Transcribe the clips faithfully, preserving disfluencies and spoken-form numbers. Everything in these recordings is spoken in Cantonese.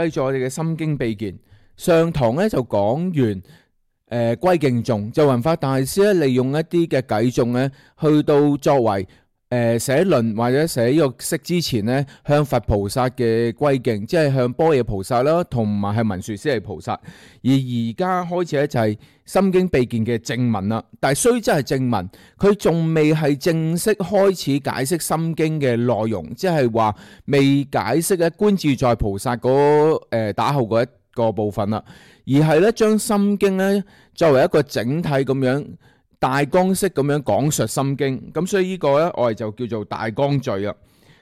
繼續我哋嘅心經秘見。上堂咧就講完誒歸敬頌，就弘法大師咧利用一啲嘅偈頌咧，去到作為誒寫論或者寫呢個釋之前咧，向佛菩薩嘅歸敬，即係向般若菩薩啦，同埋係文殊師利菩薩。而而家開始咧就係心經秘見嘅正文啦。但係雖則係正文，佢仲未係正式開始解釋心經嘅內容，即係話未解釋咧觀自在菩薩嗰誒打後嗰一個部分啦，而係咧將心經咧作為一個整體咁樣大綱式咁樣講述心經，咁所以呢個咧我哋就叫做大綱序啦。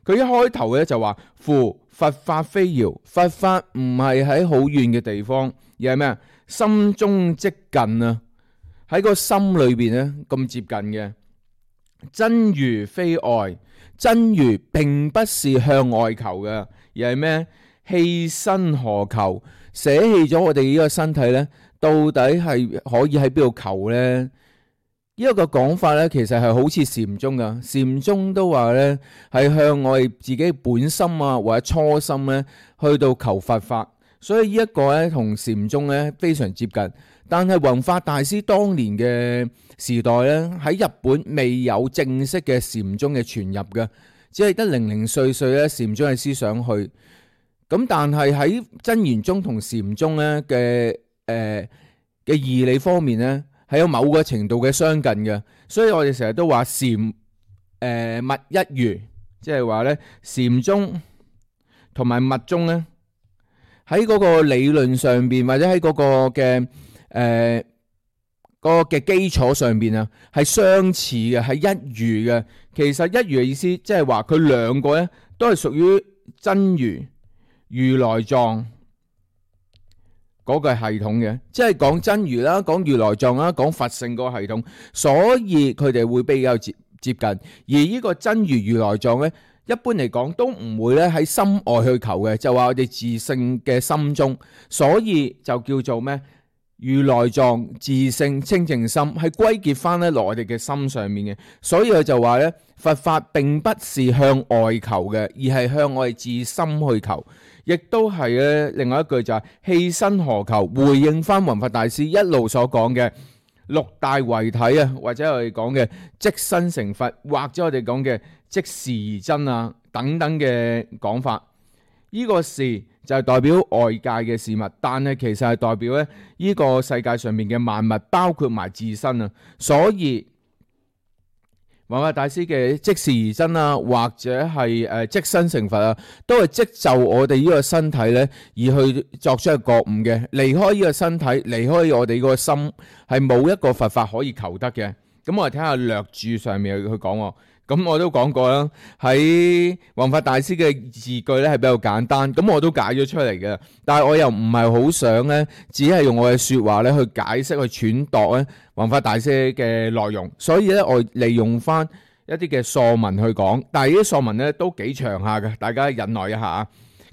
佢一開頭咧就話：夫佛法非遙，佛法唔係喺好遠嘅地方，而係咩啊？心中即近啊，喺個心裏邊咧咁接近嘅。真如非外，真如並不是向外求嘅，而係咩？棄身何求？捨棄咗我哋呢個身體咧，到底係可以喺邊度求咧？呢一個講法咧，其實係好似禪宗噶，禪宗都話咧係向我哋自己本心啊或者初心咧去到求佛法，所以呢一個咧同禪宗咧非常接近。但係弘法大師當年嘅時代咧，喺日本未有正式嘅禪宗嘅傳入嘅，只係得零零碎碎咧禪宗嘅思想去。咁但係喺真言宗同禪宗咧嘅誒嘅義理方面咧，係有某個程度嘅相近嘅，所以我哋成日都話禪誒密一如，即係話咧禪宗同埋密宗咧喺嗰個理論上邊或者喺嗰個嘅誒、呃嗰個嘅基礎上邊啊，係相似嘅，係一如嘅。其實一如嘅意思，即係話佢兩個咧都係屬於真如如來藏嗰個系統嘅，即係講真如啦，講如來藏啦，講佛性嗰個系統，所以佢哋會比較接接近。而呢個真如如來藏咧，一般嚟講都唔會咧喺心外去求嘅，就話我哋自性嘅心中，所以就叫做咩？如來藏自性清淨心，係歸結翻咧落我哋嘅心上面嘅。所以佢就話咧，佛法並不是向外求嘅，而係向我哋自心去求。亦都係咧，另外一句就係棄身何求，回應翻弘法大師一路所講嘅六大為體啊，或者我哋講嘅即身成佛，或者我哋講嘅即時而真啊等等嘅講法。呢、這個事就係代表外界嘅事物，但係其實係代表咧呢個世界上面嘅萬物，包括埋自身啊。所以弘法大師嘅即時而真啊，或者係誒即身成佛啊，都係即就我哋呢個身體咧而去作出一個覺悟嘅。離開呢個身體，離開我哋個心，係冇一個佛法可以求得嘅。咁我哋睇下略注上面去講。咁我都講過啦，喺弘法大師嘅字句咧係比較簡單，咁我都解咗出嚟嘅。但係我又唔係好想咧，只係用我嘅說話咧去解釋、去揣度咧弘法大師嘅內容。所以咧，我利用翻一啲嘅疏文去講，但係呢啲疏文咧都幾長下嘅，大家忍耐一下啊。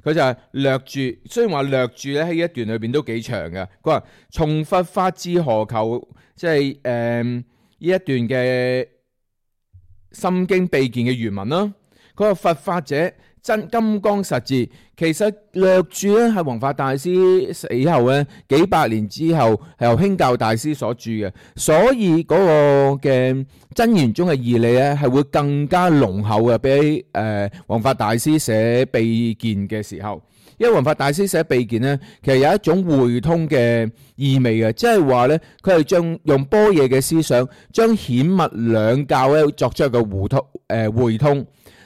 佢就係略注，雖然話略注咧喺一段裏邊都幾長嘅。佢話從佛法至何求，即係誒呢一段嘅心經秘見嘅原文啦。佢話佛法者真金剛實智，其實略注咧係弘法大師死後咧幾百年之後係由興教大師所著嘅，所以嗰個嘅真言中嘅義理咧係會更加濃厚嘅，比誒弘法大師寫秘見嘅時候。因為弘法大師寫秘見咧，其實有一種會通嘅意味嘅，即係話咧，佢係將用般若嘅思想，將顯密兩教咧作出一個互通誒會通。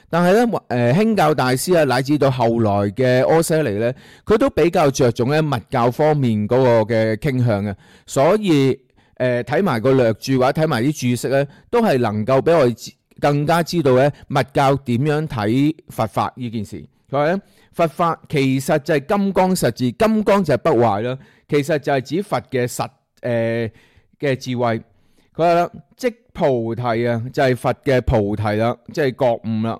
但係咧，誒興教大師啊，乃至到後來嘅柯舍尼咧，佢都比較着重咧密教方面嗰個嘅傾向嘅，所以誒睇埋個略注或者睇埋啲注釋咧，都係能夠俾我哋更加知道咧密教點樣睇佛法呢件事。佢話咧，佛法其實就係金剛實智，金剛就係不壞啦。其實就係指佛嘅實誒嘅智慧。佢話啦，即菩提啊，就係佛嘅菩提啦，即係覺悟啦。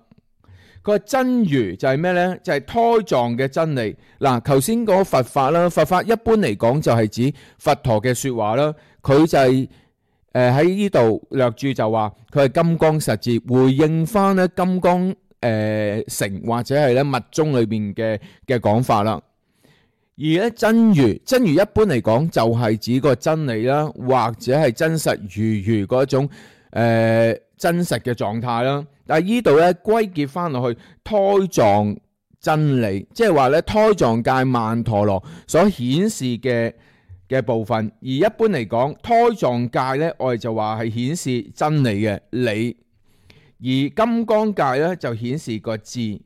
佢話真如就係咩咧？就係胎藏嘅真理。嗱，頭先講佛法啦，佛法一般嚟講就係指佛陀嘅說話啦。佢就係誒喺呢度略注就話佢係金剛實智，回應翻咧金剛。誒、呃，成或者係咧密宗裏邊嘅嘅講法啦。而咧真如，真如一般嚟講就係指個真理啦，或者係真實如如嗰種誒、呃、真實嘅狀態啦。但係呢度咧歸結翻落去胎藏真理，即係話咧胎藏界曼陀羅所顯示嘅嘅部分。而一般嚟講，胎藏界咧我哋就話係顯示真理嘅理，而金剛界咧就顯示個智。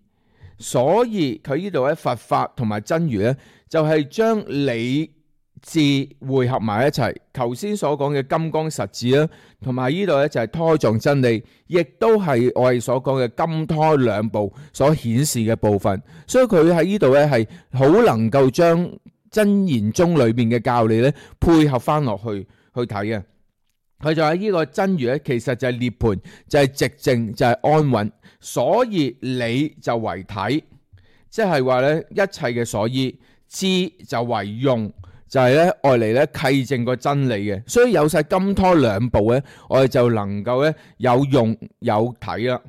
所以佢呢度咧佛法同埋真如咧，就係將理智匯合埋一齊。頭先所講嘅金剛實智啦，同埋呢度咧就係胎藏真理，亦都係我哋所講嘅金胎兩部所顯示嘅部分。所以佢喺呢度咧係好能夠將真言宗裏邊嘅教理咧配合翻落去去睇嘅。佢就喺呢個真如咧，其實就係涅槃，就係寂靜，就係安穩。所以理就為體，即係話咧一切嘅所依，智就為用，就係咧愛嚟咧契證個真理嘅。所以有晒金胎兩部咧，我哋就能夠咧有用有體啦。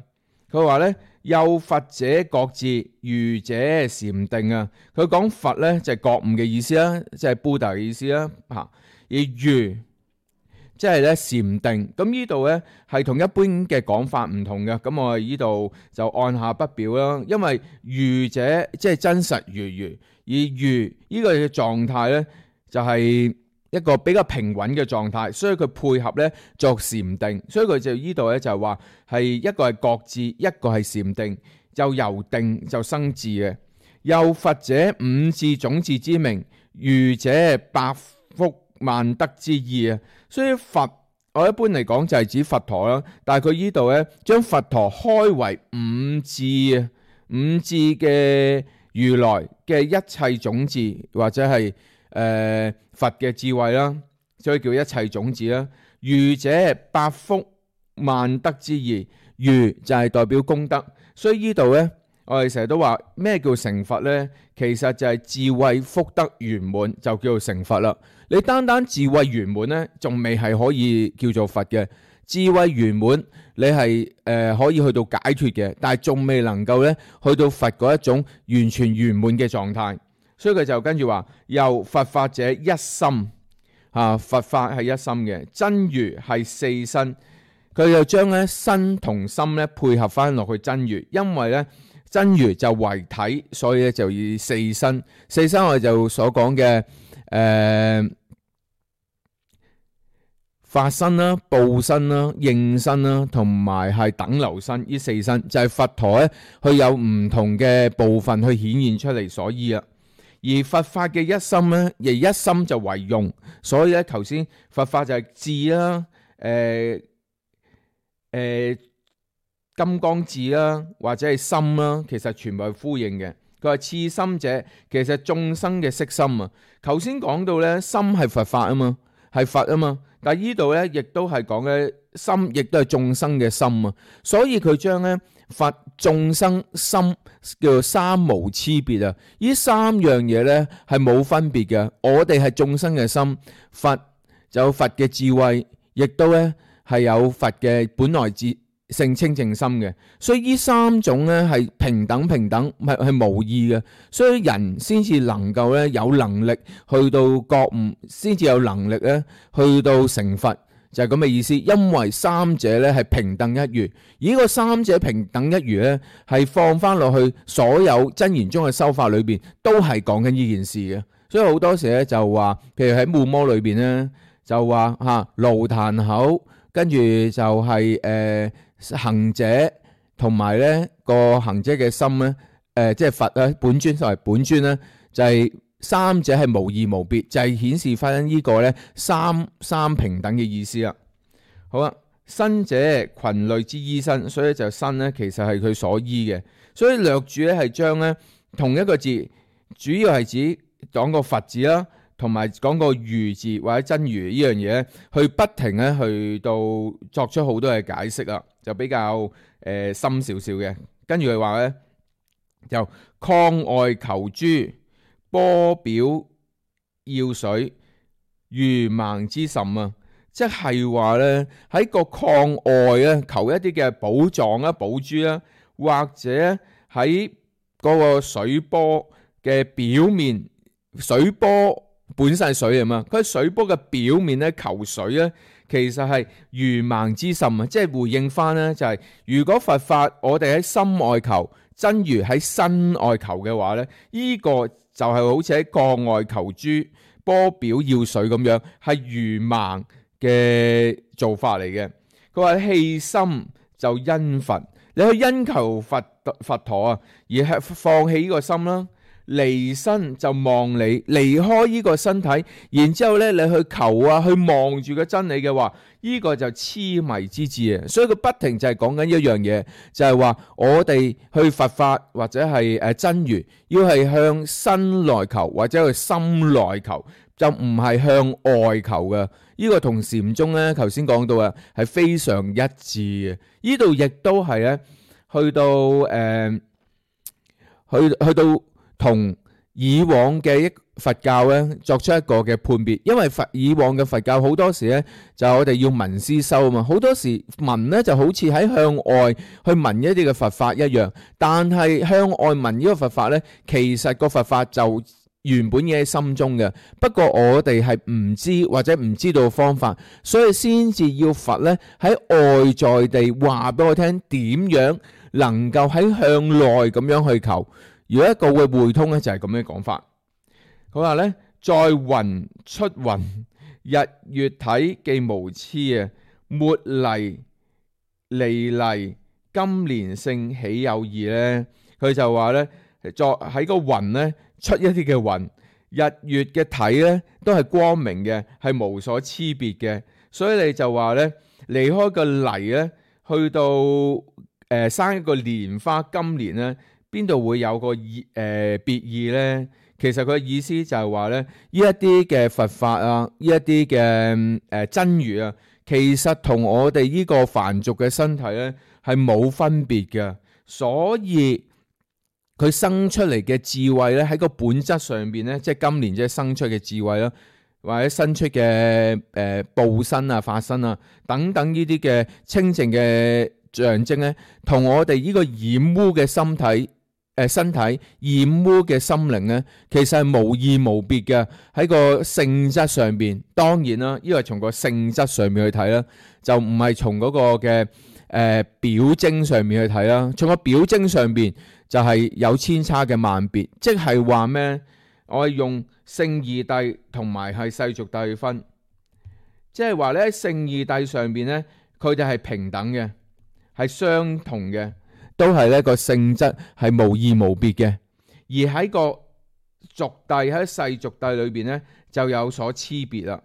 佢話咧有佛者覺智，愚者禪定啊。佢講佛咧就係覺悟嘅意思啦，即係 Buddha 嘅意思啦吓。而愚即係咧禪定，咁呢度咧係同一般嘅講法唔同嘅，咁我哋呢度就按下不表啦。因為愚者即係真實如如，而愚呢個嘅狀態咧就係一個比較平穩嘅狀態，所以佢配合咧作禪定，所以佢就呢度咧就係話係一個係覺智，一個係禪定，就由定就生智嘅。又佛者五智種智之名，愚者百福萬德之意啊。所以佛我一般嚟講就係指佛陀啦，但係佢呢度咧將佛陀開為五智啊，五智嘅如來嘅一切種智，或者係誒、呃、佛嘅智慧啦，所以叫一切種智啦。愚者百福萬德之意，愚就係代表功德，所以呢度咧我哋成日都話咩叫成佛咧？其實就係智慧福德圓滿就叫做成佛啦。你單單智慧圓滿咧，仲未係可以叫做佛嘅。智慧圓滿，你係誒、呃、可以去到解脫嘅，但係仲未能夠咧去到佛嗰一種完全圓滿嘅狀態。所以佢就跟住話，由佛法者一心啊，佛法係一心嘅，真如係四身。佢就將咧身同心咧配合翻落去真如，因為咧真如就為體，所以咧就以四身。四身我哋就所講嘅誒。法身啦、報身啦、應身啦，同埋係等流身，呢四身就係佛陀咧，佢有唔同嘅部分去顯現出嚟所依啊。而佛法嘅一心咧，亦一心就為用，所以咧頭先佛法就係智啦、誒誒金剛智啦，或者係心啦，其實全部係呼應嘅。佢話次心者，其實眾生嘅色心啊。頭先講到咧，心係佛法啊嘛，係佛啊嘛。但係呢度咧，亦都係講嘅心，亦都係眾生嘅心啊。所以佢將咧佛眾生心叫做三無差別啊。呢三樣嘢咧係冇分別嘅。我哋係眾生嘅心，佛就有佛嘅智慧，亦都咧係有佛嘅本來智性清淨心嘅。所以呢三種咧係平等平等，係係無異嘅。所以人先至能夠咧有能力去到覺悟，先至有能力咧去到成佛，就係咁嘅意思。因為三者咧係平等一如，而呢個三者平等一如咧係放翻落去所有真言中嘅修法裏邊，都係講緊呢件事嘅。所以好多時咧就話，譬如喺護摩裏邊咧就話吓爐壇口，跟住就係誒。行者同埋咧個行者嘅心咧，誒、呃、即係佛咧本尊作為本尊咧，就係、是、三者係無異無別，就係、是、顯示翻呢個咧三三平等嘅意思啦。好啦，身者群類之依身，所以就身咧其實係佢所依嘅，所以略著咧係將咧同一個字，主要係指講個佛字啦，同埋講個如字或者真如呢樣嘢，去不停咧去到作出好多嘅解釋啦。就比較誒、呃、深少少嘅，跟住佢話咧，就曠外求珠，波表要水，如盲之甚啊！即係話咧喺個曠外咧求一啲嘅寶藏啦、寶珠啦，或者喺嗰個水波嘅表面水波本身係水啊嘛，佢喺水波嘅表面咧求水咧，其實係愚盲之心啊！即係回應翻咧，就係如果佛法我哋喺心外求，真如喺身外求嘅話咧，呢、這個就係好似喺國外求珠，波表要水咁樣，係愚盲嘅做法嚟嘅。佢話棄心就因佛，你去因求佛佛陀啊，而係放棄呢個心啦。離身就望你，離開呢個身體，然之後咧你去求啊，去望住個真理嘅話，呢、這個就痴迷之智啊！所以佢不停就係講緊一樣嘢，就係、是、話我哋去佛法或者係誒真如，要係向身內求或者去心內求，就唔係向外求嘅。呢、這個同禪宗咧頭先講到啊，係非常一致嘅。呢度亦都係咧去到誒、呃，去去到。同以往嘅一佛教咧作出一個嘅判別，因為佛以往嘅佛教好多時咧就係我哋要聞思修啊嘛，好多時聞咧就好似喺向外去聞一啲嘅佛法一樣，但係向外聞呢個佛法咧，其實個佛法就原本嘢喺心中嘅，不過我哋係唔知或者唔知道方法，所以先至要佛咧喺外在地話俾我聽點樣能夠喺向內咁樣去求。如果一個會會通咧，就係咁樣講法。佢話咧，在雲出雲，日月體既無痴啊，末離離離，今連性豈有異咧？佢就話咧，作喺個雲咧出一啲嘅雲，日月嘅體咧都係光明嘅，係無所差別嘅。所以你就話咧，離開個泥咧，去到誒、呃、生一個蓮花金蓮咧。邊度會有個意誒別意呢？其實佢嘅意思就係話咧，呢一啲嘅佛法啊，呢一啲嘅誒真如啊，其實同我哋呢個凡俗嘅身體咧係冇分別嘅，所以佢生出嚟嘅智慧咧喺個本質上邊咧，即係今年即係生出嘅智慧啦，或者生出嘅誒報身啊、法身啊等等呢啲嘅清淨嘅象徵咧，同我哋呢個染污嘅身體。誒，身體染污嘅心靈咧，其實係無異無別嘅。喺個性質上邊，當然啦，呢個係從個性質上面去睇啦，就唔係從嗰個嘅誒、呃、表徵上面去睇啦。從個表徵上邊就係有千差嘅萬別，即係話咩？我係用聖義諦同埋係世俗諦去分，即係話咧喺聖義諦上邊咧，佢哋係平等嘅，係相同嘅。都係呢個性質係無異無別嘅，而喺個俗諦喺世俗諦裏邊咧就有所差別啦，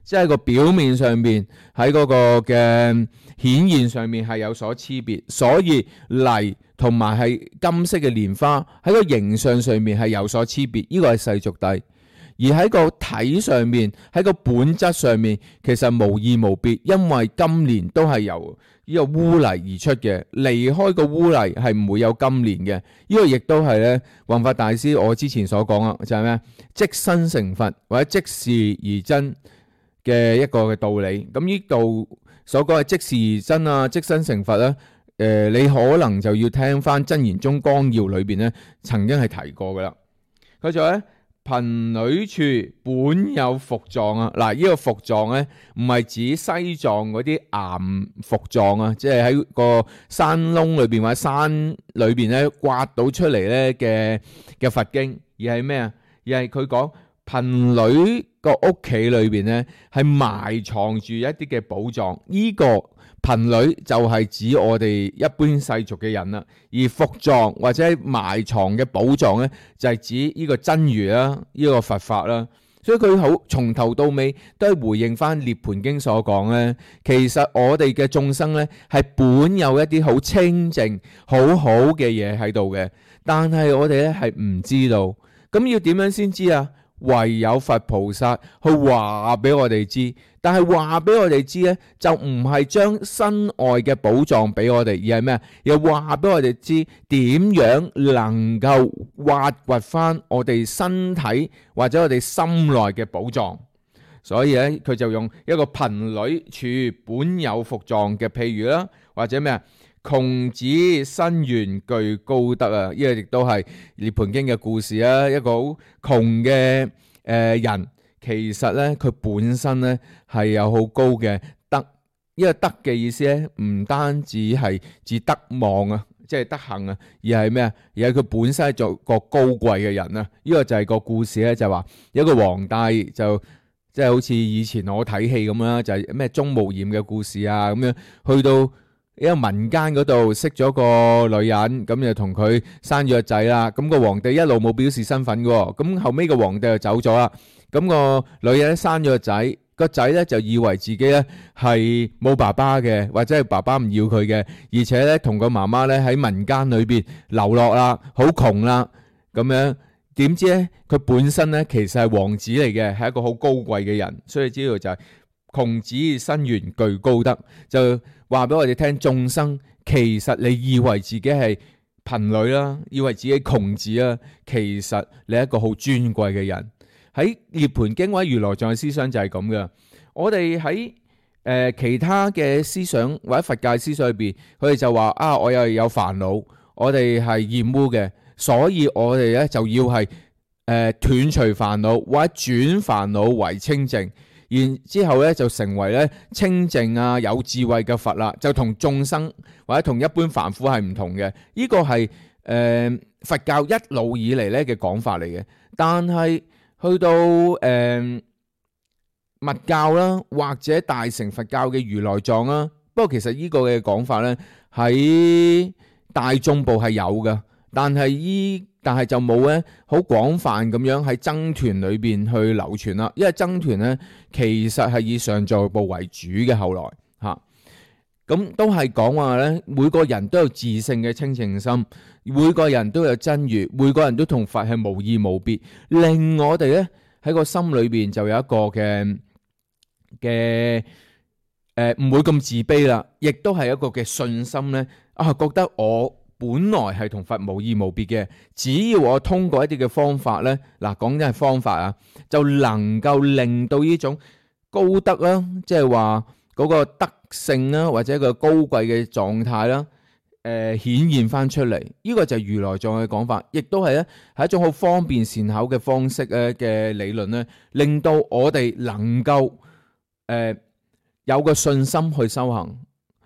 即係個表面上邊喺嗰個嘅顯現上面係有所差別，所以泥同埋係金色嘅蓮花喺個形象上面係有所差別，呢個係世俗諦。而喺個體上面，喺個本質上面，其實無異無別，因為金蓮都係由呢個污泥而出嘅，離開個污泥係唔會有金蓮嘅。呢、這個亦都係咧，弘法大師我之前所講啊，就係咩？即身成佛或者即事而真嘅一個嘅道理。咁呢度所講嘅即事而真啊，即身成佛咧，誒、呃，你可能就要聽翻《真言宗綱要》裏邊咧，曾經係提過噶啦。佢就咧。貧女處本有伏藏啊！嗱，呢個伏藏咧，唔係指西藏嗰啲岩伏藏啊，即係喺個山窿裏邊或者山裏邊咧刮到出嚟咧嘅嘅佛經，而係咩啊？而係佢講貧女個屋企裏邊咧係埋藏住一啲嘅寶藏，呢個貧女就係指我哋一般世俗嘅人啦，而伏藏或者埋藏嘅寶藏咧就係指呢個真如啦，呢個佛法啦。所以佢好從頭到尾都係回應翻《涅槃經》所講咧，其實我哋嘅眾生咧係本有一啲好清淨、好好嘅嘢喺度嘅，但係我哋咧係唔知道。咁要點樣先知啊？唯有佛菩薩去話俾我哋知，但係話俾我哋知咧，就唔係將身外嘅寶藏俾我哋，而係咩啊？又話俾我哋知點樣能夠挖掘翻我哋身體或者我哋心內嘅寶藏。所以咧，佢就用一個貧女處本有伏藏嘅譬如啦，或者咩啊？窮子生源具高德啊！呢個亦都係涅槃經嘅故事啊。一個好窮嘅誒人，其實咧佢本身咧係有好高嘅德。呢個德嘅意思咧，唔單止係指德望啊，即係德行啊，而係咩啊？而係佢本身係做個高貴嘅人啊！呢個就係個故事咧，就係話有一個皇帝就即係好似以前我睇戲咁啦，就係咩鍾無艷嘅故事啊咁樣，去到一個民間嗰度識咗個女人，咁就同佢生咗個仔啦。咁個皇帝一路冇表示身份嘅，咁後尾個皇帝就走咗啦。咁個女人生咗個仔，個仔咧就以為自己咧係冇爸爸嘅，或者係爸爸唔要佢嘅，而且咧同個媽媽咧喺民間裏邊流落啦，好窮啦，咁樣點知咧佢本身咧其實係王子嚟嘅，係一個好高貴嘅人，所以知道就係窮子生源具高德，就話俾我哋聽，眾生其實你以為自己係貧女啦，以為自己窮子啊，其實你係一個好尊貴嘅人。喺涅槃經或者如來藏嘅思想就係咁嘅。我哋喺誒其他嘅思想或者佛教思想裏邊，佢哋就話啊，我又有煩惱，我哋係厭污嘅，所以我哋咧就要係誒斷除煩惱或者轉煩惱為清淨。然之後咧就成為咧清淨啊有智慧嘅佛啦，就同眾生或者同一般凡夫係唔同嘅。呢個係誒佛教一路以嚟咧嘅講法嚟嘅。但係去到誒密教啦，或者大乘佛教嘅如來藏啦，不過其實呢個嘅講法咧喺大眾部係有嘅，但係依但係就冇咧好廣泛咁樣喺僧團裏邊去流傳啦。因為僧團咧其實係以上座部為主嘅，後來嚇咁都係講話咧，每個人都有自性嘅清淨心，每個人都有真如，每個人都同佛係無異無別，令我哋咧喺個心裏邊就有一個嘅嘅誒唔會咁自卑啦，亦都係一個嘅信心咧啊，覺得我本來係同佛無異無別嘅，只要我通過一啲嘅方法咧，嗱講緊係方法啊，就能夠令到呢種高德啦，即係話嗰個德性啦，或者個高貴嘅狀態啦，誒、呃、顯現翻出嚟。呢、這個就係如來藏嘅講法，亦都係咧係一種好方便善巧嘅方式咧嘅理論咧，令到我哋能夠誒、呃、有個信心去修行，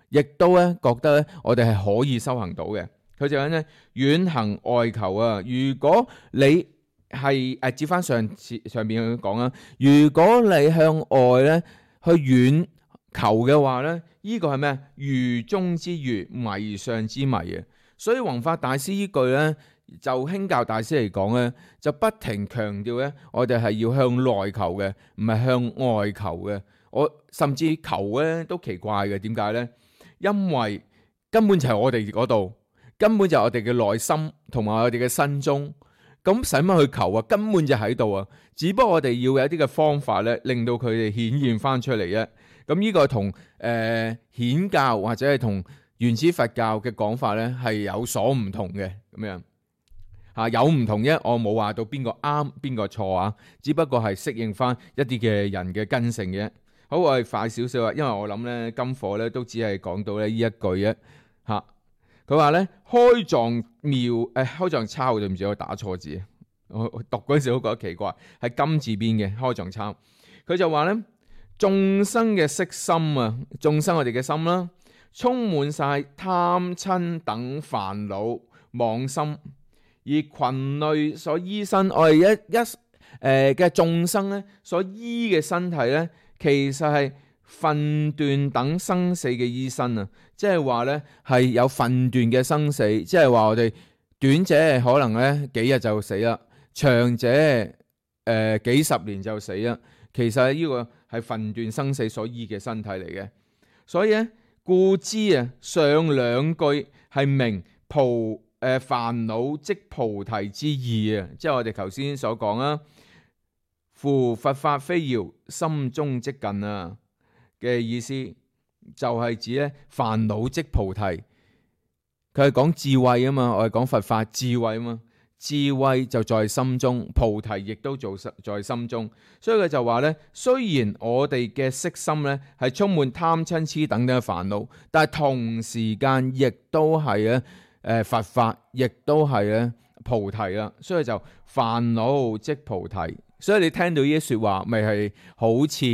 亦都咧覺得咧我哋係可以修行到嘅。佢就講咧遠行外求啊！如果你係誒接翻上次上邊去講啊，如果你向外咧去遠求嘅話咧，呢、這個係咩？愚中之愚，迷上之迷啊！所以弘法大師呢句咧，就興教大師嚟講咧，就不停強調咧，我哋係要向內求嘅，唔係向外求嘅。我甚至求咧都奇怪嘅，點解咧？因為根本就係我哋嗰度。根本就係我哋嘅內心同埋我哋嘅身中，咁使乜去求啊？根本就喺度啊！只不過我哋要有一啲嘅方法咧，令到佢哋顯現翻出嚟啫。咁呢個同誒顯教或者係同原始佛教嘅講法咧係有所唔同嘅咁樣嚇，有唔同啫。我冇話到邊個啱邊個錯啊，只不過係適應翻一啲嘅人嘅根性嘅。好，我哋快少少啊，因為我諗咧今課咧都只係講到咧呢一句啫嚇。佢話咧開藏妙誒、哎、開藏抄，對唔住我打錯字，我讀嗰陣時都覺得奇怪，係金字邊嘅開藏抄。佢就話咧眾生嘅色心啊，眾生我哋嘅心啦，充滿晒貪嗔等煩惱妄心，而群類所依身，我哋一一誒嘅眾生咧所依嘅身體咧，其實係分段等生死嘅依身啊，即係話咧係有分段嘅生死，即係話我哋短者可能咧幾日就死啦，長者誒、呃、幾十年就死啦。其實呢個係分段生死所依嘅身體嚟嘅，所以咧故知啊上兩句係明菩誒煩惱即菩提之意啊，即係我哋頭先所講啊，夫佛法非遙，心中即近啊。嘅意思就係指咧煩惱即菩提，佢係講智慧啊嘛，我係講佛法智慧啊嘛，智慧就在心中，菩提亦都做在心中。所以佢就話呢，雖然我哋嘅色心呢係充滿貪嗔痴等等嘅煩惱，但係同時間亦都係咧誒佛法，亦都係咧菩提啦。所以就煩惱即菩提。所以你聽到呢啲說話，咪係好似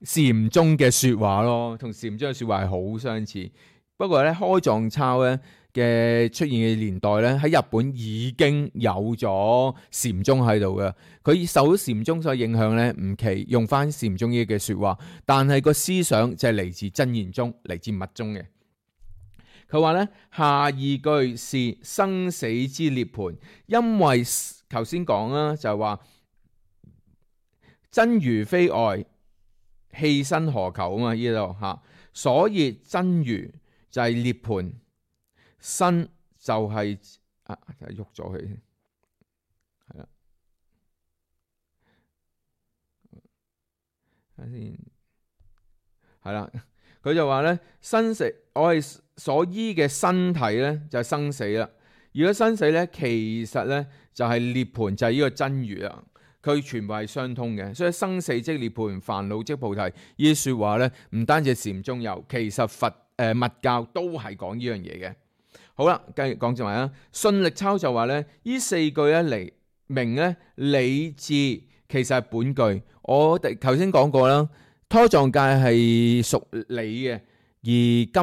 禪宗嘅說話咯，同禪宗嘅說話係好相似。不過咧，開藏抄咧嘅出現嘅年代咧，喺日本已經有咗禪宗喺度嘅。佢受到禪宗所影響咧，唔奇用翻禪宗呢嘅說話，但係個思想就係嚟自真言宗，嚟自密宗嘅。佢話咧，下二句是生死之涅槃，因為頭先講啦，就係話真如非愛，棄身何求啊嘛，呢度吓，所以真如就係涅槃，身就係、是、啊就喐咗佢，係啦，睇先，係啦，佢就話咧，生死我係所依嘅身體咧就係生死啦。如果生死咧，其實咧就係涅槃，就係、是、呢個真如啦。佢全部係相通嘅，所以生死即涅槃，煩惱即菩提。呢啲說話咧，唔單止禪宗有，其實佛誒、呃、密教都係講呢樣嘢嘅。好啦，繼續講住埋啦。信力抄就話咧，呢四句咧嚟明咧理智其實係本句。我哋頭先講過啦，胎藏界係屬理嘅，而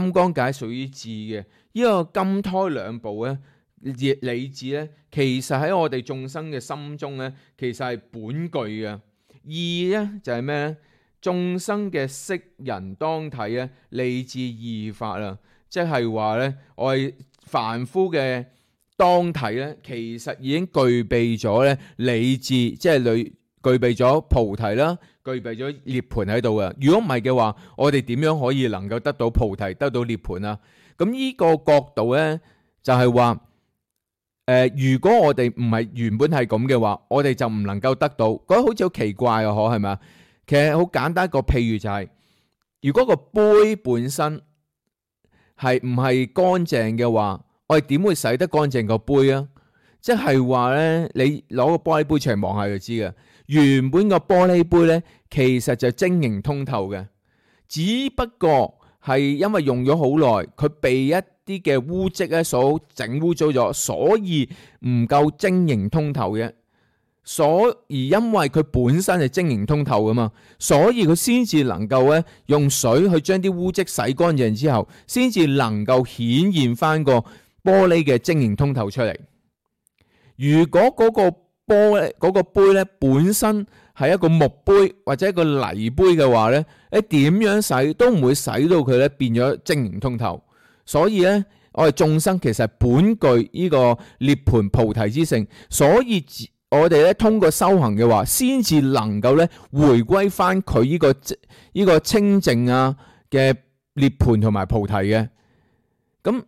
金剛界屬於智嘅。呢、這個金胎兩部咧。理智咧，其實喺我哋眾生嘅心中咧，其實係本具嘅。義咧就係咩咧？眾生嘅識人當體咧，理智義法啦，即係話咧，我哋凡夫嘅當體咧，其實已經具備咗咧理智，即係具具備咗菩提啦，具備咗涅槃喺度嘅。如果唔係嘅話，我哋點樣可以能夠得到菩提，得到涅槃啊？咁呢個角度咧，就係話。誒、呃，如果我哋唔係原本係咁嘅話，我哋就唔能夠得到，覺得好似好奇怪啊！可係咪啊？其實好簡單一個譬如就係、是，如果個杯本身係唔係乾淨嘅話，我哋點會洗得乾淨個杯啊？即係話咧，你攞個玻璃杯出嚟望下就知嘅。原本個玻璃杯咧，其實就晶瑩通透嘅，只不過係因為用咗好耐，佢被一啲嘅污漬咧所整污糟咗，所以唔夠晶瑩通透嘅。所而因為佢本身係晶瑩通透噶嘛，所以佢先至能夠咧用水去將啲污漬洗乾淨之後，先至能夠顯現翻個玻璃嘅晶瑩通透出嚟。如果嗰個玻璃嗰個杯咧本身係一個木杯或者一個泥杯嘅話咧，你點樣洗都唔會洗到佢咧變咗晶瑩通透。所以咧，我哋眾生其實係本具呢個涅槃菩提之性，所以我哋咧通過修行嘅話，先至能夠咧回歸翻佢呢個呢個清淨啊嘅涅槃同埋菩提嘅。咁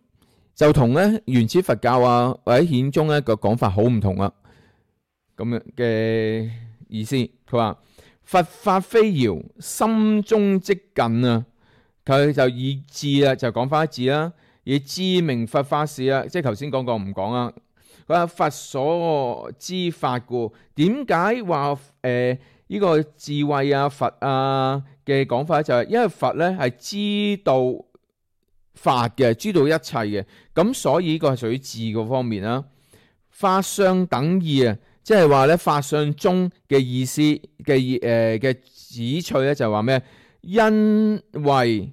就同咧原始佛教啊或者顯宗咧個講法好唔同啊。咁樣嘅意思，佢話佛法非遙，心中即近啊。佢就以智啦，就講翻一智啦，以智明佛法事啦，即係頭先講過唔講啊？佢話佛所知法故，點解話誒呢個智慧啊佛啊嘅講法就係因為佛咧係知道法嘅，知道一切嘅，咁所以呢個係屬於智嗰方面啦。法相等義啊，即係話咧法相中嘅意思嘅誒嘅旨趣咧就係話咩？因為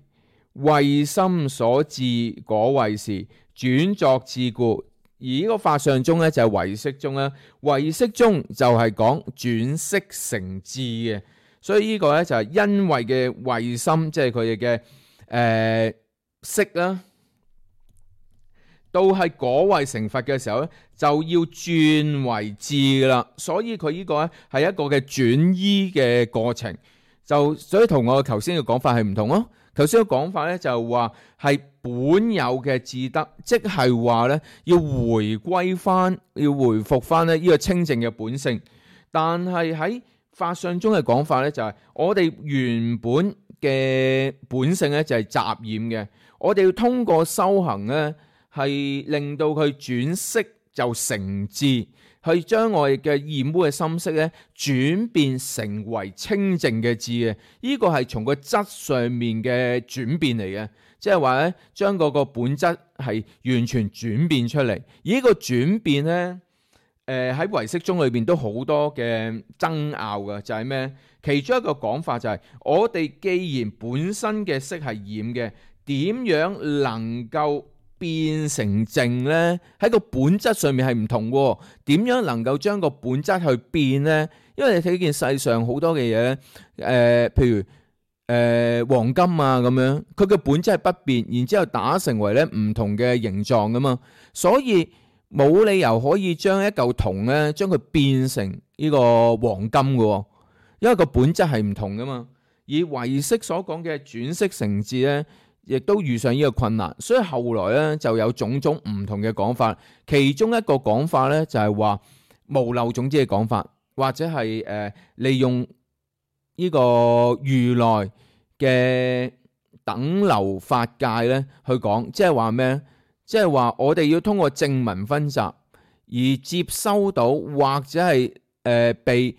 慧心所致果位時，轉作智故。而呢個法相中咧就係唯識中啦，唯識中就係講轉識成智嘅，所以呢個咧就係因為嘅慧心，即係佢哋嘅誒識啦，到係果位成佛嘅時候咧，就要轉為智啦。所以佢呢個咧係一個嘅轉依嘅過程。就所以同我頭先嘅講法係唔同咯。頭先嘅講法咧就話係本有嘅智德，即係話咧要回歸翻，要回復翻咧呢個清淨嘅本性。但係喺法相中嘅講法咧就係我哋原本嘅本性咧就係雜染嘅，我哋要通過修行咧係令到佢轉識就成智，去將我哋嘅染污嘅心識咧轉變成為清淨嘅智嘅。呢個係從個質上面嘅轉變嚟嘅，即係話咧將嗰個本質係完全轉變出嚟。而呢個轉變咧，誒喺唯識宗裏邊都好多嘅爭拗嘅，就係咩？其中一個講法就係、是、我哋既然本身嘅色係染嘅，點樣能夠變成淨呢？喺個本質上面係唔同嘅，點樣能夠將個本質去變呢？因為你睇見世上好多嘅嘢，誒、呃，譬如誒、呃、黃金啊咁樣，佢嘅本質係不變，然之後打成為咧唔同嘅形狀噶嘛，所以冇理由可以將一嚿銅咧，將佢變成呢個黃金嘅，因為個本質係唔同噶嘛。而唯識所講嘅轉識成智咧，亦都遇上呢個困難，所以後來咧就有種種唔同嘅講法。其中一個講法咧就係話無漏種子嘅講法，或者係誒、呃、利用呢個如來嘅等流法界咧去講，即係話咩？即係話我哋要通過正文分集而接收到，或者係誒、呃、被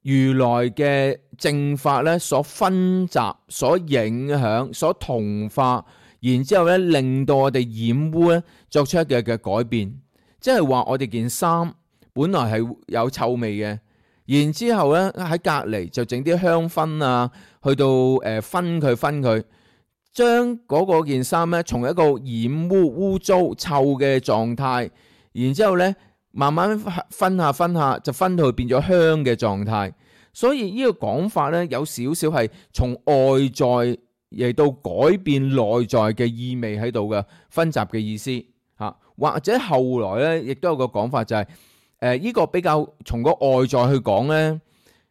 如來嘅正法咧所分集、所影響、所同化，然之後咧令到我哋染污咧作出一嘅嘅改變。即係話我哋件衫本來係有臭味嘅，然之後咧喺隔離就整啲香薰啊，去到誒分佢分佢。將嗰個件衫咧，從一個染污、污糟、臭嘅狀態，然之後咧慢慢分下分下，就分到去變咗香嘅狀態。所以呢個講法咧，有少少係從外在嚟到改變內在嘅意味喺度嘅分集嘅意思嚇。或者後來咧，亦都有個講法就係誒呢個比較從個外在去講咧，誒、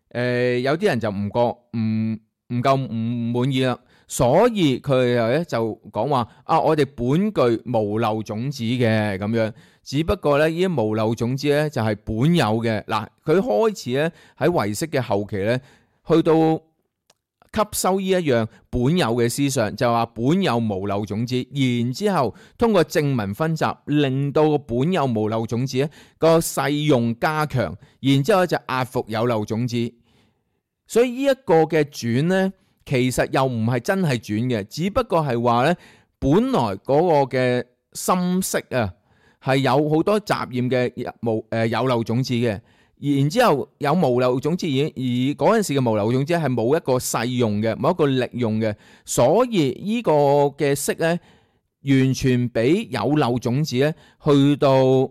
呃、有啲人就唔覺唔唔夠唔滿意啦。所以佢又咧就講話啊，我哋本具無漏種子嘅咁樣，只不過咧呢啲無漏種子咧就係本有嘅。嗱，佢開始咧喺唯識嘅後期咧，去到吸收呢一樣本有嘅思想，就話本有無漏種子，然之後通過正文分集，令到個本有無漏種子咧個勢用加強，然之後就壓服有漏種子。所以呢一個嘅轉咧，其實又唔係真係轉嘅，只不過係話咧，本來嗰個嘅心識啊，係有好多雜染嘅無誒有漏種子嘅，然之後有無漏種子，而而嗰陣時嘅無漏種子係冇一個勢用嘅，冇一個力用嘅，所以呢個嘅識咧，完全俾有漏種子咧去到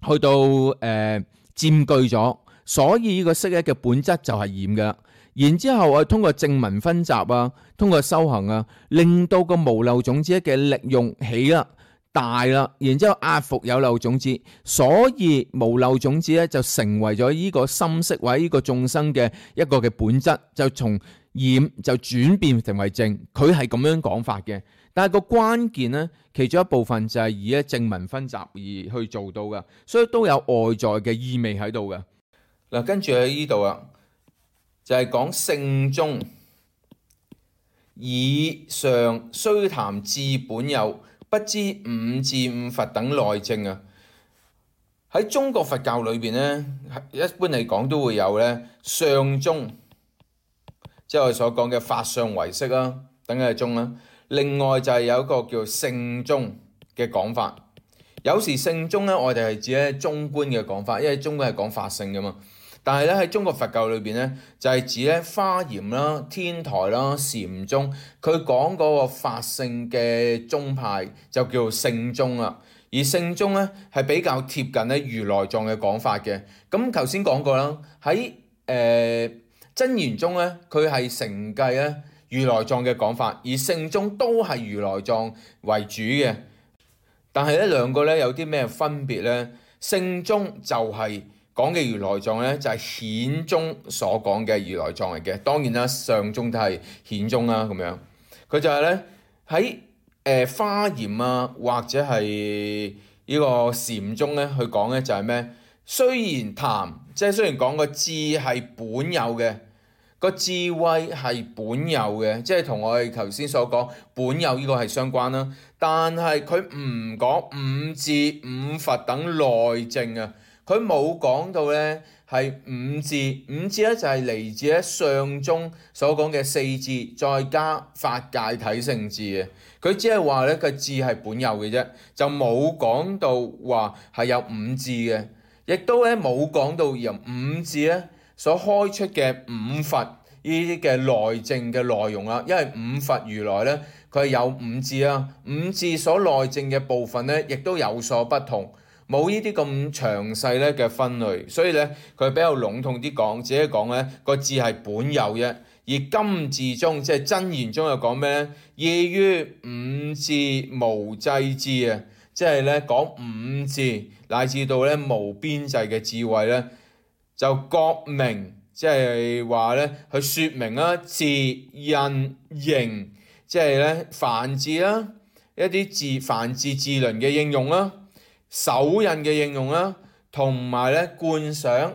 去到誒、呃、佔據咗，所以呢個識咧嘅本質就係染嘅啦。然之後我通過正文分集啊，通過修行啊，令到個無漏種子嘅力用起啦、大啦，然之後壓服有漏種子，所以無漏種子咧就成為咗呢個心識或者呢個眾生嘅一個嘅本質，就從染就轉變成為淨。佢係咁樣講法嘅，但係個關鍵咧，其中一部分就係以咧正文分集而去做到嘅，所以都有外在嘅意味喺度嘅。嗱，跟住喺呢度啊。就係講聖宗以上須談智本有，不知五至五佛等內證啊。喺中國佛教裏邊咧，一般嚟講都會有咧上宗，即係我哋所講嘅法相唯識啦，等嘅宗啦。另外就係有一個叫聖宗嘅講法。有時聖宗咧，我哋係指咧中觀嘅講法，因為中觀係講法性噶嘛。但係咧喺中國佛教裏邊咧，就係指咧華嚴啦、天台啦、禪宗，佢講嗰個法性嘅宗派就叫做聖宗啦。而聖宗咧係比較貼近咧如來藏嘅講法嘅。咁頭先講過啦，喺誒真言宗咧，佢係承繼咧如來藏嘅講法，而聖宗都係如來藏為主嘅。但係咧兩個咧有啲咩分別咧？聖宗就係、是講嘅如來藏咧就係顯宗所講嘅如來藏嚟嘅，當然啦上宗都係顯宗啦咁樣。佢就係咧喺誒華嚴啊或者係呢個禪宗咧去講咧就係咩？雖然談即係雖然講個智係本有嘅，個智慧係本有嘅，即係同我哋頭先所講本有呢個係相關啦。但係佢唔講五智五佛等內證啊，佢冇講到咧係五智，五智咧就係嚟自咧上中所講嘅四智，再加法界體性智嘅。佢只係話咧個智係本有嘅啫，就冇講到話係有五智嘅，亦都咧冇講到由五智咧所開出嘅五佛呢啲嘅內證嘅內容啦。因為五佛如來咧佢係有五智啊，五智所內證嘅部分咧亦都有所不同，冇呢啲咁詳細咧嘅分類，所以咧佢比較籠統啲講，只係講咧個智係本有啫。而金智中即係真言中又講咩咧？異於五智無際智啊，即係咧講五智乃至到咧無邊際嘅智慧咧，就覺明，即係話咧去説明啦，字印形，即係咧梵字啦，一啲字梵字字輪嘅應用啦，手印嘅應用啦，同埋咧觀想。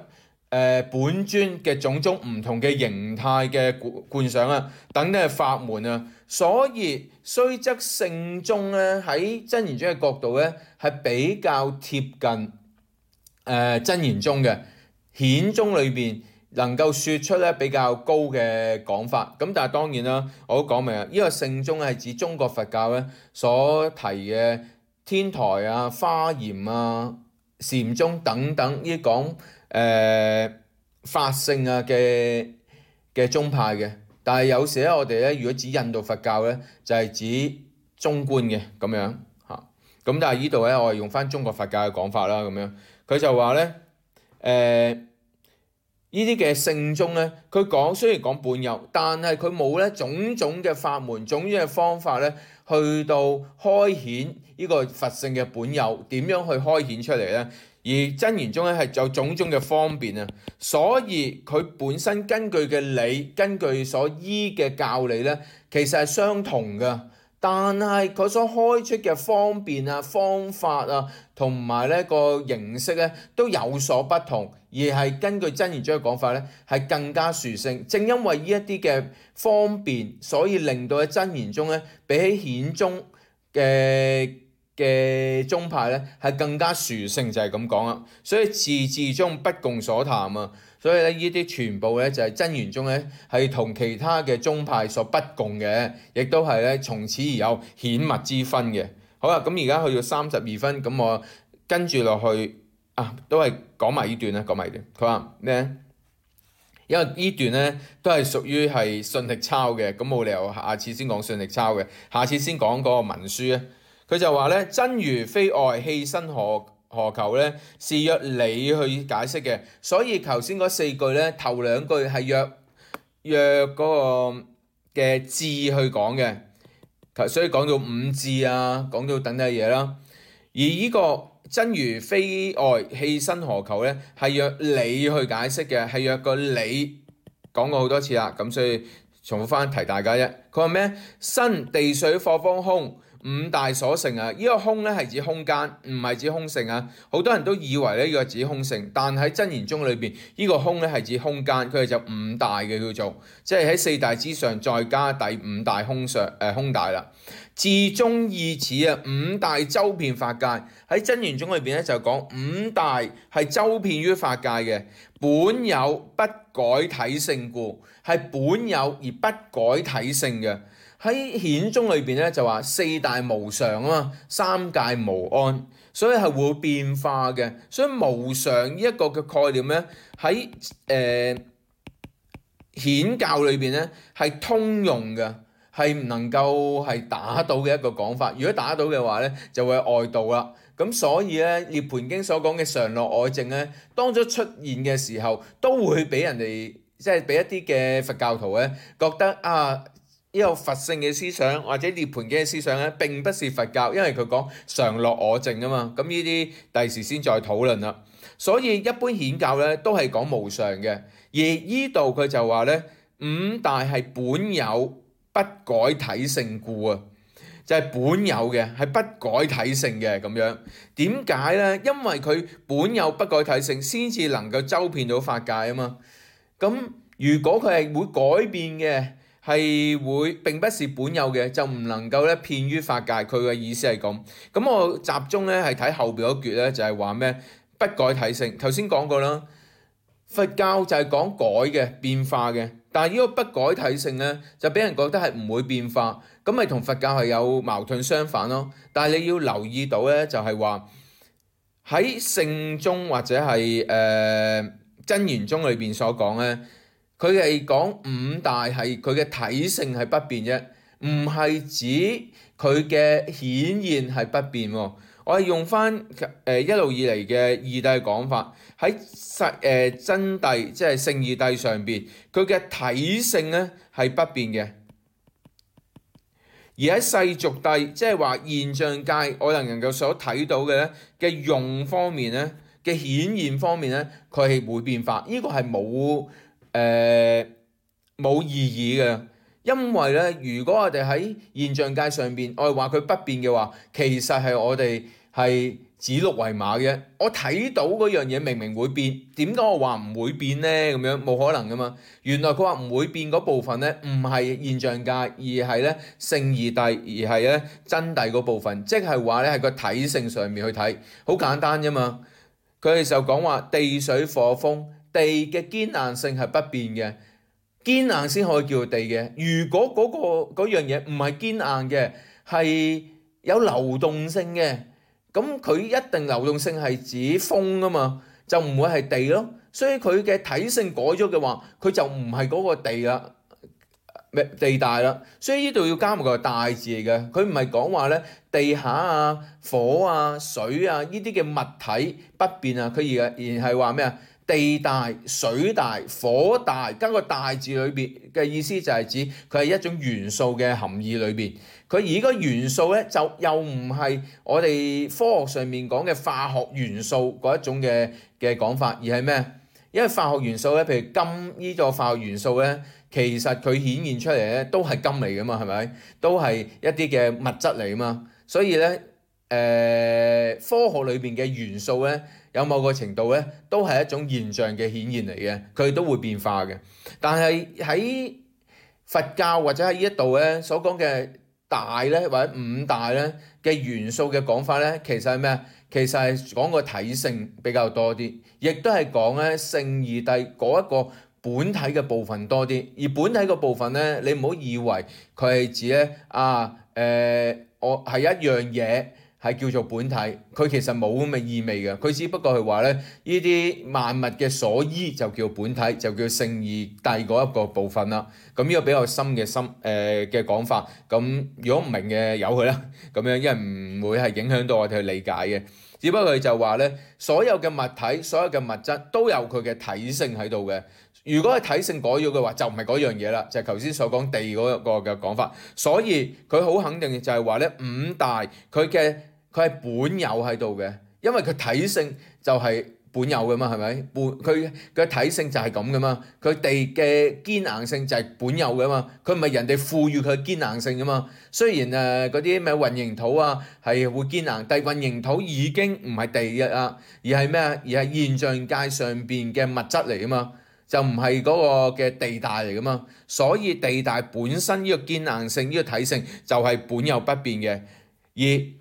誒、呃、本尊嘅種種唔同嘅形態嘅觀想啊，等等嘅法門啊，所以雖則聖宗咧喺真言宗嘅角度咧係比較貼近誒、呃、真言宗嘅顯宗裏邊能夠説出咧比較高嘅講法。咁但係當然啦，我都講明啊，呢、這個聖宗係指中國佛教咧所提嘅天台啊、華嚴啊、禪宗等等呢啲講。誒、呃、法性啊嘅嘅宗派嘅，但係有時咧我哋咧如果指印度佛教咧就係、是、指中觀嘅咁樣嚇，咁但係呢度咧我係用翻中國佛教嘅講法啦咁樣，佢就話咧誒呢啲嘅聖宗咧，佢講雖然講本有，但係佢冇咧種種嘅法門、種種嘅方法咧去到開顯呢個佛性嘅本有，點樣去開顯出嚟咧？而真言宗咧係有種種嘅方便啊，所以佢本身根據嘅理，根據所依嘅教理咧，其實係相同嘅，但係佢所開出嘅方便啊、方法啊，同埋咧個形式咧都有所不同，而係根據真言宗嘅講法咧係更加殊勝。正因為呢一啲嘅方便，所以令到喺真言宗咧比起顯宗嘅嘅宗派咧係更加殊勝，就係咁講啦。所以字字中不共所談啊，所以咧呢啲全部咧就係真言宗咧係同其他嘅宗派所不共嘅，亦都係咧從此而有顯密之分嘅。好啦，咁而家去到三十二分，咁我跟住落去啊，都係講埋呢段啦，講埋呢段。佢話咩？因為呢段咧都係屬於係信力抄嘅，咁冇理由下次先講信力抄嘅，下次先講嗰個文書咧。佢就話咧，真如非外，器身何何求咧？是約你去解釋嘅。所以頭先嗰四句咧，頭兩句係約約嗰個嘅智去講嘅，所以講到五智啊，講到等等嘢啦。而呢個真如非外，器身何求咧？係約你去解釋嘅，係約個你講過好多次啦。咁所以重複翻提大家啫。佢話咩？身地水火風空。五大所成啊！呢個空咧係指空間，唔係指空性啊！好多人都以為咧呢個指空性，但喺真言宗裏邊，呢個空咧係指空間，佢哋就五大嘅叫做，即係喺四大之上再加第五大空上誒、呃、空大啦。至中意此啊，五大周遍法界，喺真言宗裏邊咧就講五大係周遍於法界嘅，本有不改體性故，係本有而不改體性嘅。喺顯宗裏邊咧就話四大無常啊嘛，三界無安，所以係會變化嘅。所以無常呢一個嘅概念咧喺誒顯教裏邊咧係通用嘅，係唔能夠係打倒嘅一個講法。如果打倒嘅話咧，就會外道啦。咁所以咧《涅槃經》所講嘅常樂我淨咧，當咗出現嘅時候，都會俾人哋即係俾一啲嘅佛教徒咧覺得啊。呢個佛性嘅思想或者涅槃經嘅思想咧，並不是佛教，因為佢講常樂我淨啊嘛。咁呢啲第時先再討論啦。所以一般顯教咧都係講無常嘅，而呢度佢就話咧五大係本有不改體性故啊，就係、是、本有嘅係不改體性嘅咁樣。點解咧？因為佢本有不改體性，先至能夠周遍到法界啊嘛。咁如果佢係會改變嘅，係會並不是本有嘅，就唔能夠咧遍於法界。佢嘅意思係咁。咁我集中咧係睇後邊嗰橛咧，就係話咩？不改體性。頭先講過啦，佛教就係講改嘅變化嘅，但係呢個不改體性咧，就俾人覺得係唔會變化，咁咪同佛教係有矛盾相反咯。但係你要留意到咧，就係話喺聖宗或者係誒真言宗裏邊所講咧。佢係講五大係佢嘅體性係不變啫，唔係指佢嘅顯現係不變喎。我係用翻誒一路以嚟嘅義諦講法，喺實誒真諦即係聖義諦上邊，佢嘅體性咧係不變嘅。而喺世俗諦，即係話現象界，我哋能夠所睇到嘅咧嘅用方面咧嘅顯現方面咧，佢係會變化。呢、這個係冇。誒冇、呃、意義嘅，因為咧，如果我哋喺現象界上邊，我哋話佢不變嘅話，其實係我哋係指鹿為馬嘅。我睇到嗰樣嘢明明會變，點解我話唔會變呢？咁樣冇可能噶嘛。原來佢話唔會變嗰部分咧，唔係現象界，而係咧聖義諦，而係咧真諦嗰部分，即係話咧係個體性上面去睇，好簡單啫嘛。佢哋就講話地水火風。地嘅堅硬性係不變嘅，堅硬先可以叫做地嘅。如果嗰、嗰個嗰樣嘢唔係堅硬嘅，係有流動性嘅，咁佢一定流動性係指風啊嘛，就唔會係地咯。所以佢嘅體性改咗嘅話，佢就唔係嗰個地啦，地大啦。所以呢度要加埋個大字嚟嘅，佢唔係講話咧地下啊、火啊、水啊呢啲嘅物體不變啊，佢而而係話咩啊？地大、水大、火大，加個大字裏邊嘅意思就係指佢係一種元素嘅含義裏邊。佢而呢個元素咧就又唔係我哋科學上面講嘅化學元素嗰一種嘅嘅講法，而係咩？因為化學元素咧，譬如金呢個化學元素咧，其實佢顯現出嚟咧都係金嚟噶嘛，係咪？都係一啲嘅物質嚟噶嘛，所以咧誒、呃、科學裏邊嘅元素咧。有某個程度咧，都係一種現象嘅顯現嚟嘅，佢都會變化嘅。但係喺佛教或者喺呢一度咧所講嘅大咧或者五大咧嘅元素嘅講法咧，其實係咩啊？其實係講個體性比較多啲，亦都係講咧聖義諦嗰一個本體嘅部分多啲。而本體嘅部分咧，你唔好以為佢係指咧啊誒、呃，我係一樣嘢。係叫做本體，佢其實冇咁嘅意味嘅，佢只不過係話咧，呢啲萬物嘅所依就叫本體，就叫聖義諦嗰一個部分啦。咁呢個比較深嘅深誒嘅講法，咁如果唔明嘅由佢啦，咁樣因為唔會係影響到我哋去理解嘅。只不過佢就話咧，所有嘅物體、所有嘅物質都有佢嘅體性喺度嘅。如果係體性改咗嘅話，就唔係嗰樣嘢啦，就係頭先所講地嗰個嘅講法。所以佢好肯定就係話咧，五大佢嘅佢係本有喺度嘅，因為佢體性就係本有嘅嘛，係咪？本佢嘅體性就係咁嘅嘛，佢地嘅堅硬性就係本有嘅嘛，佢唔係人哋賦予佢堅硬性嘅嘛。雖然誒嗰啲咩混凝土啊係會堅硬，但係混凝土已經唔係地嘅啦，而係咩啊？而係現象界上邊嘅物質嚟嘅嘛，就唔係嗰個嘅地大嚟嘅嘛。所以地大本身呢個堅硬性呢個體性就係本有不變嘅，而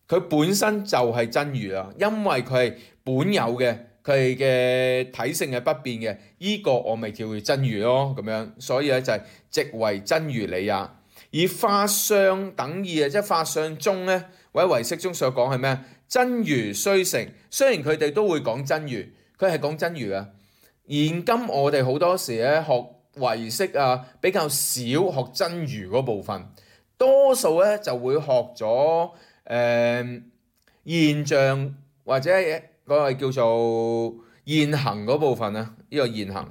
佢本身就係真如啦，因為佢係本有嘅，佢嘅體性係不變嘅，依、這個我咪叫佢真如咯，咁樣，所以咧就係即為真如理也。而法相等義啊，即係法相中咧，或者唯識中所講係咩？真如雖成，雖然佢哋都會講真如，佢係講真如啊。現今我哋好多時咧學唯識啊，比較少學真如嗰部分，多數咧就會學咗。誒、呃、現象或者嗰個叫做現行嗰部分啊，呢、這個現行，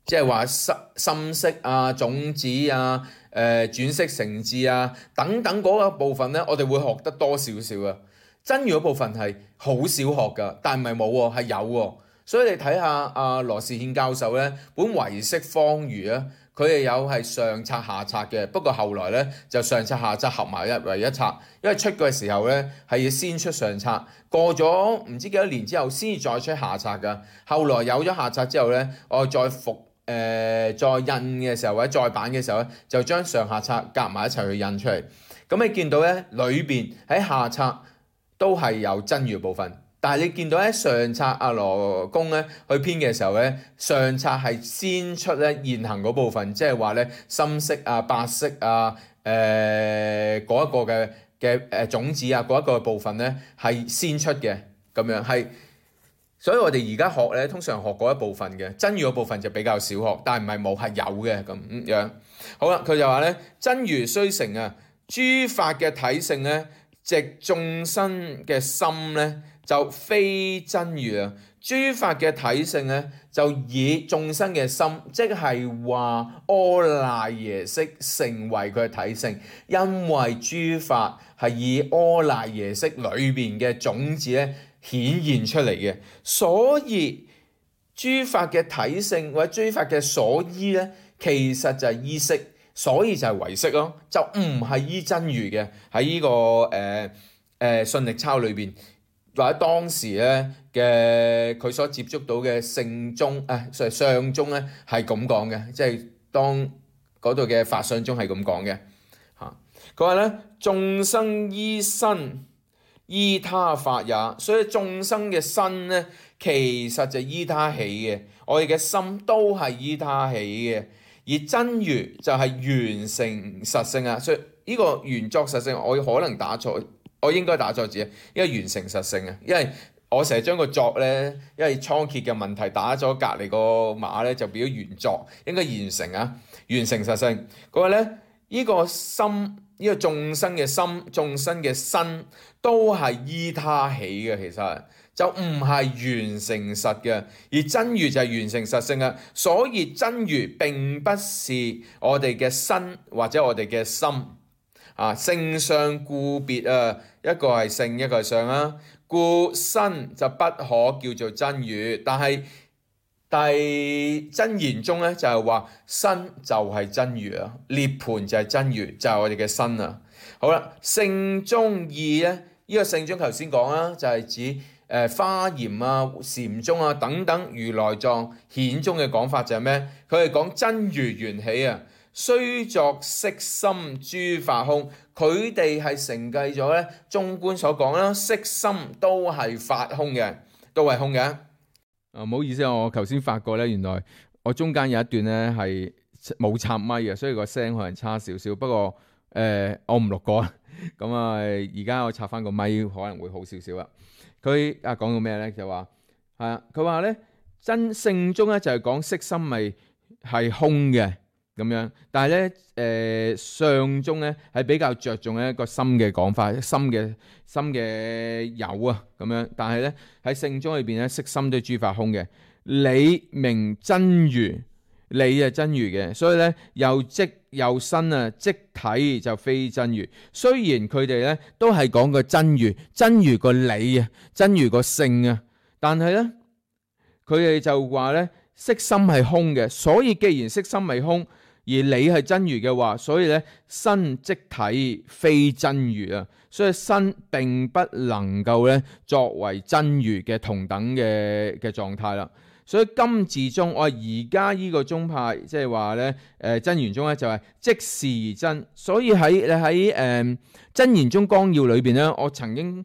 即係話心心識啊、種子啊、誒、呃、轉識成智啊等等嗰個部分咧，我哋會學得多少少啊。真如嗰部分係好少學㗎，但唔係冇喎，係有喎。所以你睇下阿羅士憲教授咧本唯識方喻啊，佢哋有係上冊下冊嘅，不過後來咧就上冊下冊合埋一為一冊，因為出嘅時候咧係要先出上冊，過咗唔知幾多年之後先至再出下冊㗎。後來有咗下冊之後咧，我再復誒、呃、再印嘅時候或者再版嘅時候咧，就將上下冊夾埋一齊去印出嚟。咁你見到咧裏邊喺下冊都係有真語部分。但係你見到喺上冊阿羅公咧去編嘅時候咧，上冊係先出咧現行嗰部分，即係話咧深色啊、白色啊、誒嗰一個嘅嘅誒種子啊嗰一個部分咧係先出嘅，咁樣係。所以我哋而家學咧，通常學嗰一部分嘅真語嗰部分就比較少學，但係唔係冇，係有嘅咁樣。好啦，佢就話咧真如雖成啊，諸法嘅體性咧，藉眾生嘅心咧。就非真如啊！諸法嘅體性咧，就以眾生嘅心，即係話阿賴耶識成為佢嘅體性，因為諸法係以阿賴耶識裏邊嘅種子咧顯現出嚟嘅，所以諸法嘅體性或者諸法嘅所依咧，其實就係依識，所以就係唯識咯，就唔係依真如嘅。喺呢、這個誒誒信力鈔裏邊。或者當時咧嘅佢所接觸到嘅聖宗誒相宗咧係咁講嘅，即係當嗰度嘅法相宗係咁講嘅嚇。佢話咧眾生依身依他法也，所以眾生嘅身咧其實就依他起嘅，我哋嘅心都係依他起嘅，而真如就係緣成實性啊。所以呢個緣作實性，我可能打錯。我應該打錯字啊，因為緣成實性啊，因為我成日將個作咧，因為倉頡嘅問題打咗隔離個碼咧，就變咗緣作，應該緣成啊，緣成實性。佢話咧，呢、這個心，呢、這個眾生嘅心，眾生嘅身，都係依他起嘅，其實就唔係緣成實嘅，而真如就係緣成實性啊。所以真如並不是我哋嘅身或者我哋嘅心。啊，性相故別啊，一個係性，一個係相啊，故身就不可叫做真如。但係但真言中咧就係話身就係真如啊，涅槃就係真如，就係、是、我哋嘅身啊。好啦，性中義咧，呢、這個性中頭先講啦，就係、是、指誒、呃、華嚴啊、禪宗啊等等如來藏顯宗嘅講法就係咩？佢係講真如緣起啊。雖作色心諸法空，佢哋係承繼咗咧中觀所講啦，色心都係法空嘅，都係空嘅。啊，唔好意思，我頭先發覺咧，原來我中間有一段咧係冇插咪嘅，所以個聲可能差少少。不過誒、呃，我唔錄過，咁啊，而家我插翻個咪可能會好少少啦。佢啊講到咩咧？就話係啊，佢話咧真性中咧就係講色心咪係空嘅。咁樣，但係咧，誒相中咧係比較着重一個心嘅講法，心嘅心嘅有啊，咁樣。但係咧喺性中裏邊咧，色心都係諸法空嘅。理名真如，理係真如嘅，所以咧又即又身啊，即體就非真如。雖然佢哋咧都係講個真如，真如個理啊，真如個性啊，但係咧佢哋就話咧色心係空嘅，所以既然色心係空，而理係真如嘅話，所以咧身即體非真如啊，所以身並不能夠咧作為真如嘅同等嘅嘅狀態啦。所以今字中，我而家呢個宗派即係話咧，誒真言宗咧就係即是而真。所以喺你喺誒真言宗綱要裏邊咧，我曾經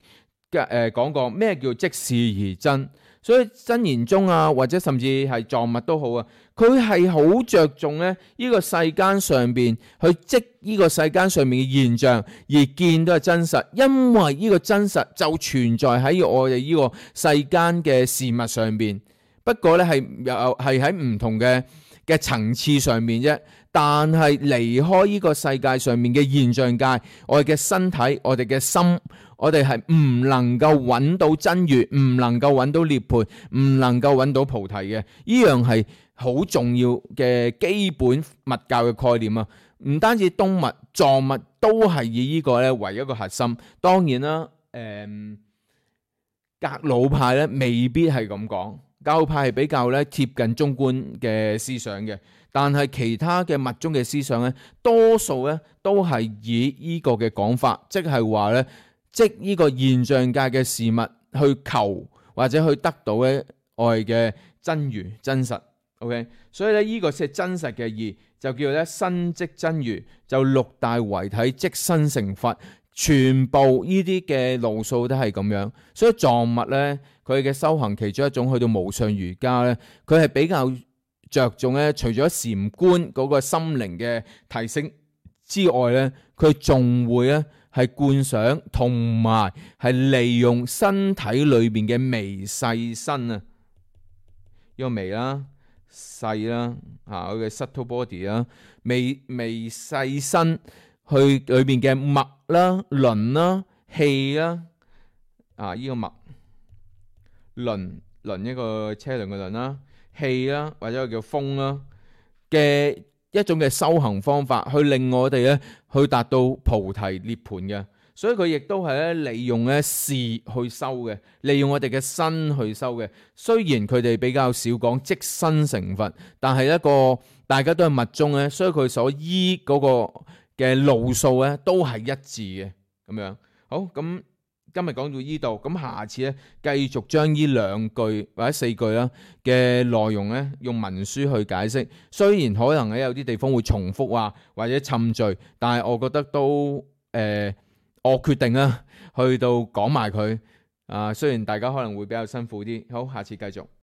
嘅誒講過咩叫即是而真。所以真言宗啊，或者甚至係藏物都好啊，佢係好着重咧呢個世間上邊去即呢個世間上面嘅現象而見到係真實，因為呢個真實就存在喺我哋呢個世間嘅事物上邊。不過咧係又係喺唔同嘅嘅層次上面啫。但係離開呢個世界上面嘅現象界，我哋嘅身體，我哋嘅心，我哋係唔能夠揾到真如，唔能夠揾到涅槃，唔能夠揾到菩提嘅。呢樣係好重要嘅基本佛教嘅概念啊！唔單止東密、藏密都係以呢個咧為一個核心。當然啦，誒、嗯，格魯派咧未必係咁講。教派係比較咧貼近中觀嘅思想嘅，但係其他嘅密宗嘅思想咧，多數咧都係以呢個嘅講法，即係話咧，即呢個現象界嘅事物去求或者去得到咧愛嘅真如真實。OK， 所以咧呢個先係真實嘅義，就叫咧身即真如，就六大為體即身成佛，全部呢啲嘅路數都係咁樣。所以藏密咧，佢嘅修行其中一種去到無上瑜伽咧，佢係比較着重咧，除咗禪觀嗰個心靈嘅提升之外咧，佢仲會咧係觀想同埋係利用身體裏邊嘅微細身啊，呢個微啦。細啦，啊佢嘅 subtle body 啦，微微細身去裏邊嘅脈啦、輪啦、氣啦，啊呢、這個脈輪輪一個車輪嘅輪啦，氣啦或者叫風啦嘅一種嘅修行方法，去令我哋咧去達到菩提涅槃嘅。所以佢亦都係咧利用咧事去修嘅，利用我哋嘅身去修嘅。雖然佢哋比較少講即身成佛，但係一個大家都係密宗咧，所以佢所依嗰個嘅路數咧都係一致嘅咁樣。好，咁今日講到呢度，咁下次咧繼續將呢兩句或者四句啦嘅內容咧用文書去解釋。雖然可能咧有啲地方會重複啊或者滲序，但係我覺得都誒。呃我決定啦，去到講埋佢啊。雖然大家可能會比較辛苦啲，好，下次繼續。